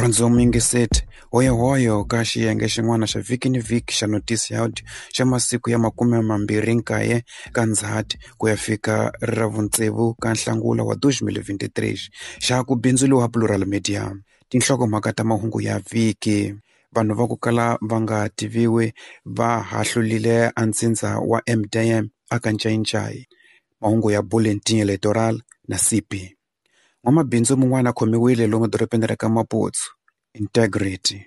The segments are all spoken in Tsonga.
Murhandzi wa muyingiseti, hoyohoyo ka xiyenge xin'wana xa vhiki ni vhiki xa Noticiado xa masiku ya 29 ka Ndzhati ku ya fika ra vu6 ka Nhlangula wa 2023 xa ku bindzuriwa Plural Media. Tinhlokomhaka ta mahungu ya vhiki. Vanhu va ku kala va nga tiviwi va hahlulile a ntsindza wa MDM aka Ncayincai. Mahungu ya Bulletin Electoral na CP. N'wamabindzu mun'wana a khomiwile lomu dorobeni ra ka Maputo. Integrity.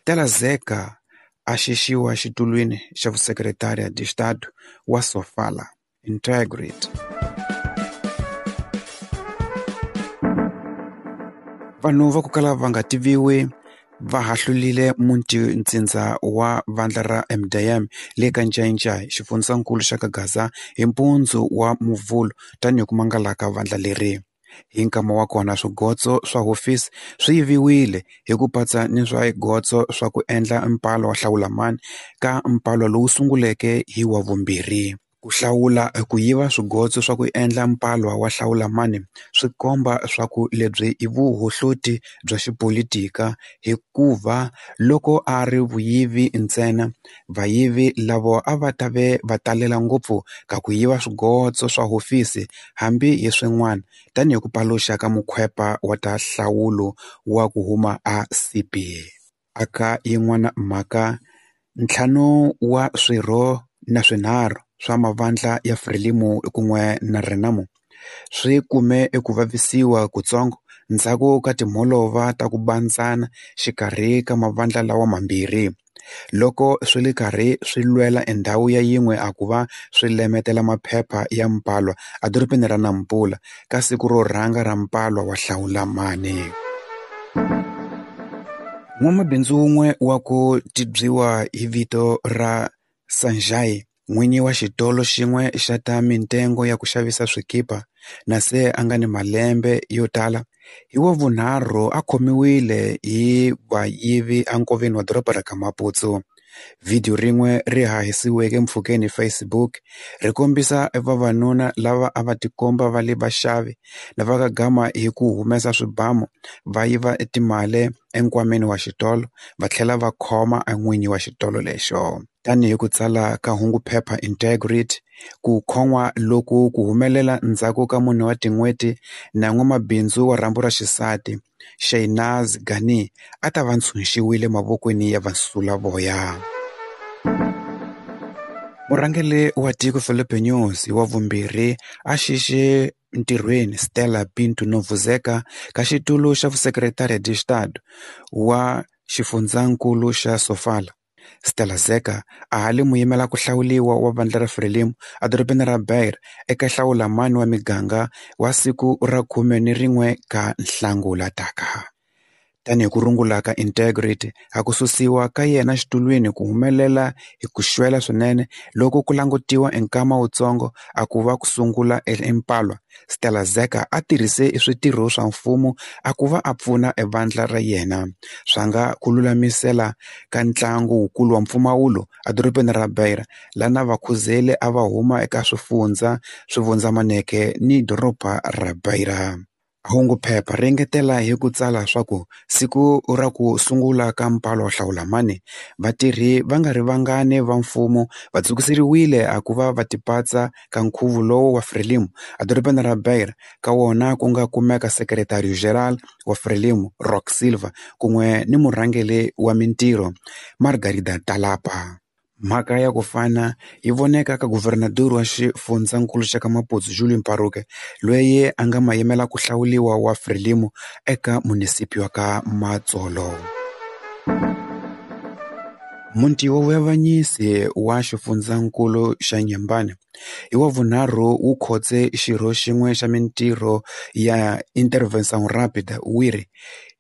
Stella Zeka a xixiwa xitulwini xa vusekretariya de Estado wa Sofala. Integrity. Vanhu va ku kala va nga tiviwi va hahlulile muti ntsindza wa vandla ra MDM le ka Ncayincai xifundzankulu xa ka Gaza hi mpundzu wa Muvhulo tanihi ku mangala ka vandla leri. Hi nkama wa kona swigotso swa hofisi swi yiviwile hi ku patsa ni swigotso swa ku endla mpalo wa hlawulamani ka mpalo lowu sunguleke hi wa vumbirhi. Ku hlawula ku yiva swigotso swa ku endla mpalwa wa hlawulamani swi komba swa ku lebyi i vuhohloti bya xipolitika hikuva loko a ri vuyivi ntsena, vayivi lavo a va ta ve va talela ngopfu ka ku yiva swigotso swa hofisi hambi hi swin'wana tanihi ku paluxa ka mukhwepa wa ta nhlawulo wa ku huma a CP. Aka yin'wana mhaka, 5 wa swirho na swinharhu swa mavandla ya Frelimo kun'we na Renamo swi kume eku vavisiwa kutsongo ndzhaku ka timholova ta ku bandzana xikarhi ka mavandla lawa mambirhi, loko swi ri karhi swi lwela endhawu ya yin'we a ku va swi lemetela maphepha ya mpalwa edorobeni ra Nampula ka siku ro rhanga ra mpalwa wa hlawulamani. N'wamabindzu wun'we wa ku tibyiwa hi vito ra Sanjay, n'winyi wa xitolo xin'we xa ta mintengo ya ku xavisa swikipa na se a nga ni malembe yo tala, hi wa vunharhu a khomiwile hi vayivi enkoveni wa doroba ra ka Maputo. Vhidiyo rin'we ri hahisiweke mpfhukeni hi Facebook ri kombisa vavanuna lava a va tikomba va le vaxavi lava ka gama hi ku humesa swibamu va yiva timali enkwameni wa xitolo va tlhela va khoma n'winyi wa xitolo lexo. Tanihi ku tsala ka hunguphepha Integrity, ku khon'wa loku ku humelela ndzhaku ka mune wa tin'hweti na n'wamabindzu wa rhambu ra xisati, Shehnaaz Ghani a ta va ntshunxiwile mavokweni ya vansulavoya. Murhangeri wa tiko Filipe Nyusi wa vumbirhi a xixe ntirhweni Stella Pinto Novo Zeka ka xitulu xa vusekretariya de Estado wa xifundzankulu xa Sofala. Stella Zeka a ha li muyimela ku hlawuliwa wa vandla ra Frelimo edorobeni ra Beira eka nhlawulamani wa miganga wa siku ra 11 ka Nhlangula taka. Tanihi ku rungula ka Integrity, a ku susiwa ka yena xitulwini ku humelela hi ku xwela swinene loko ku langutiwa enkama wutsongo a ku va ku sungula empalwa. Stella Zeka a tirhise switirho swa mfumo a ku va a pfuna evandla ra yena, swa nga ku lulamisela ka ntlangu wukulu wa mpfumawulo edorobeni ra Beira lana vakhuzeli a va huma eka swifundza swi vundzamaneke ni doroba ra Beira. Hunguphepha ri engetela hi ku tsala swa ku siku ra ku sungula ka mpalo wa hlawulamani, vatirhi va nga ri vangani va mfumo va dzukiseriwile a ku va va tipatsa ka nkhuvo lowu wa Frelimo edorobeni ra Beira ka wona ku nga kumeka Secretario Geral wa Frelimo Rock Silva kun'we ni murhangeri wa mintirho Margarida Talapa. Mhaka ya ku fana yi voneka ka guvernador wa xifundzankulu xa ka Maputo Júlio Mparuke loyi a nga mayimela ku hlawuliwa wa Frelimo eka munisipyu wa ka Matsolo. Muti wa vuavanyisi wa xifundzankulu xa Nyembane hi wa vunharhu wu khotse xirho xin'we xa mintirho ya Intervenção Rápida WIRI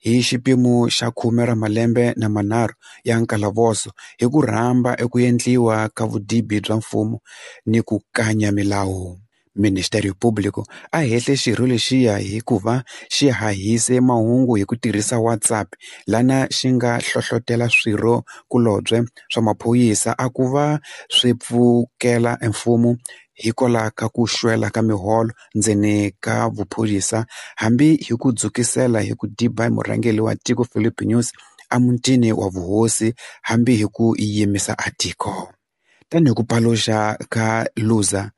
hi xipimo xa khume ra malembe na manharhu ya nkalavoso hi ku rhamba eku endliwa ka vudibi bya mfumo ni ku kanya milawu. Ministério Público a hehle xirho lexiya hi ku va xi hahise mahungu hi ku tirhisa WhatsApp lana xi nga hlohlotela swirho-kulobye swa maphorisa a ku va swi pfukela mfumo Hikwalaho ka ku xwela ka miholo ndzeni ka vuphorisa hambi hi ku dzukisela hi ku diba murhangeri wa tiko Filipe Nyusi emutini wa vuhosi hambi hi ku yimisa a tiko. Tanihi ku paluxa ka Lusa,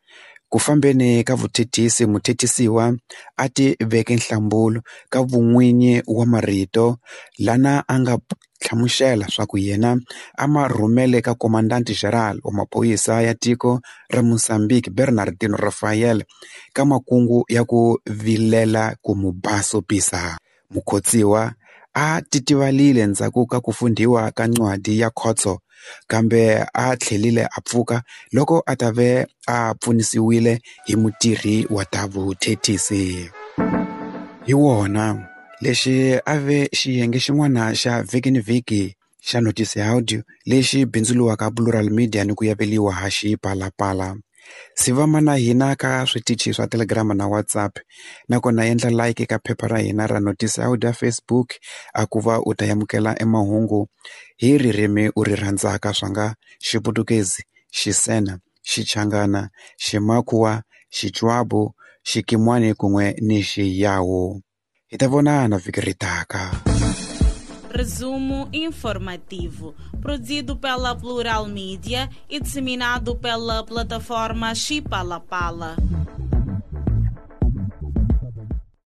ku fambeni ka vuthethisi muthethisiwa a ti veke nhlambulo ka vun'winyi wa marito lana a nga hlamusela swa ku yena a ma rhumele ka Komandante General wa maphorisa ya tiko ra Mozambique Bernardino Rafael ka makungu ya ku vilela ku mu basopisa. Mukhotsiwa a titivalile ndzhaku ka ku fundhiwa ka ncwadi ya khotso kambe a tlhelile a pfuka loko a ta ve a pfunisiwile hi mutirhi wa ta vuthethisi. Hi wona lexi a ve xiyenge xin'wana xa vhiki ni vhiki xa Notice Audio lexi bindzuriwaka Plural Media ni ku yaveliwa ha Xipalapala. Sivama na hina ka switichi swa Telegram na WhatsApp nakona endla like ka phepha ra hina ra Notice Audio ya Facebook a ku va u ta amukela emahungu hi ririmi u ri rhandzaka swa nga Xiputukezi, Xisena, Xichangana, Ximakhuwa, Xichwabu, Xikimwani kun'we ni Xiyawu. Hi ta vonana vhiki ri taka. Resumo informativo, produzido pela Plural Mídia e disseminado pela plataforma Chipalapala.